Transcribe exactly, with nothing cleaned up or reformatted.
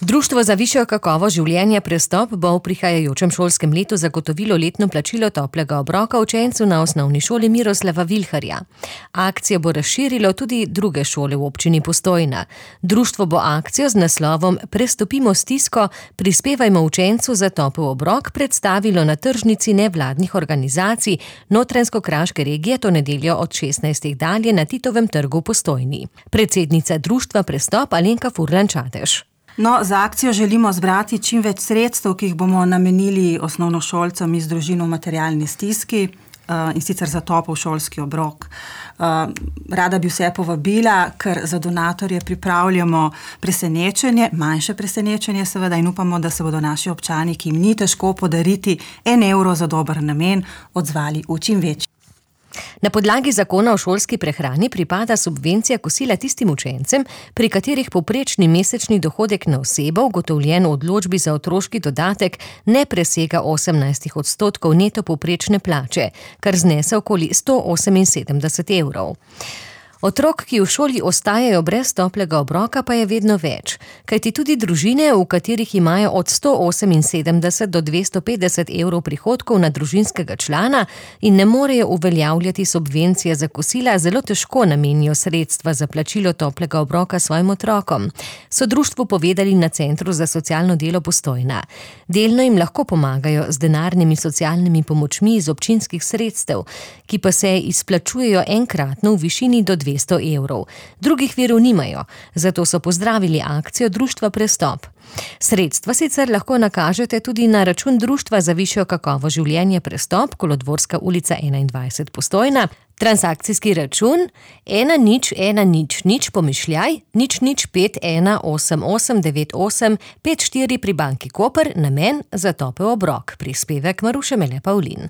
Društvo za višjo kakovost življenja Prestop bo v prihajajočem šolskem letu zagotovilo letno plačilo toplega obroka učencu na osnovni šoli Miroslava Vilharja. Akcijo bo razširilo tudi druge šole v občini Postojna. Društvo bo akcijo z naslovom Prestopimo stisko, prispevajmo učencu za topel obrok predstavilo na tržnici nevladnih organizacij Notranjsko-kraške regije to nedeljo od šestnajstih dalje na Titovem trgu v Postojni. Predsednica društva Prestop Alenka Furlan-Čadež. No, za akcijo želimo zbrati čim več sredstev, ki jih bomo namenili osnovnošolcem iz družin v materialni stiski, in sicer za topel šolski obrok. Rada bi vse povabila, ker za donatorje pripravljamo presenečenje, manjše presenečenje seveda, in upamo, da se bodo naši občani, ki jim ni težko podariti en evro za dober namen, odzvali v čim večji. Na podlagi zakona o šolski prehrani pripada subvencija kosila tistim učencem, pri katerih povprečni mesečni dohodek na osebo, ugotovljen v odločbi za otroški dodatek, ne presega osemnajst odstotkov neto povprečne plače, kar znese okoli sto oseminsedemdeset evrov. Otrok, ki v šoli ostajajo brez toplega obroka, pa je vedno več, kajti tudi družine, v katerih imajo od sto oseminsedemdeset do dvesto petdeset evrov prihodkov na družinskega člana in ne morejo uveljavljati subvencije za kosila, zelo težko namenijo sredstva za plačilo toplega obroka svojim otrokom, so društvu povedali na Centru za socialno delo Postojna. Delno jim lahko pomagajo z denarnimi socialnimi pomočmi iz občinskih sredstev, ki pa se izplačujejo enkratno v višini do dvesto evrov. Drugih virov nimajo, zato so pozdravili akcijo društva Prestop. Sredstva sicer lahko nakažete tudi na račun Društva za višjo kakovost življenja Prestop, Kolodvorska ulica enaindvajset Postojna, transakcijski račun ena nič ena nič nič pomišljaj nič nič pet ena osem osem devet osem pet štiri pri banki Koper, namen za topel obrok. Prispevek Maruše Mele Pavlin.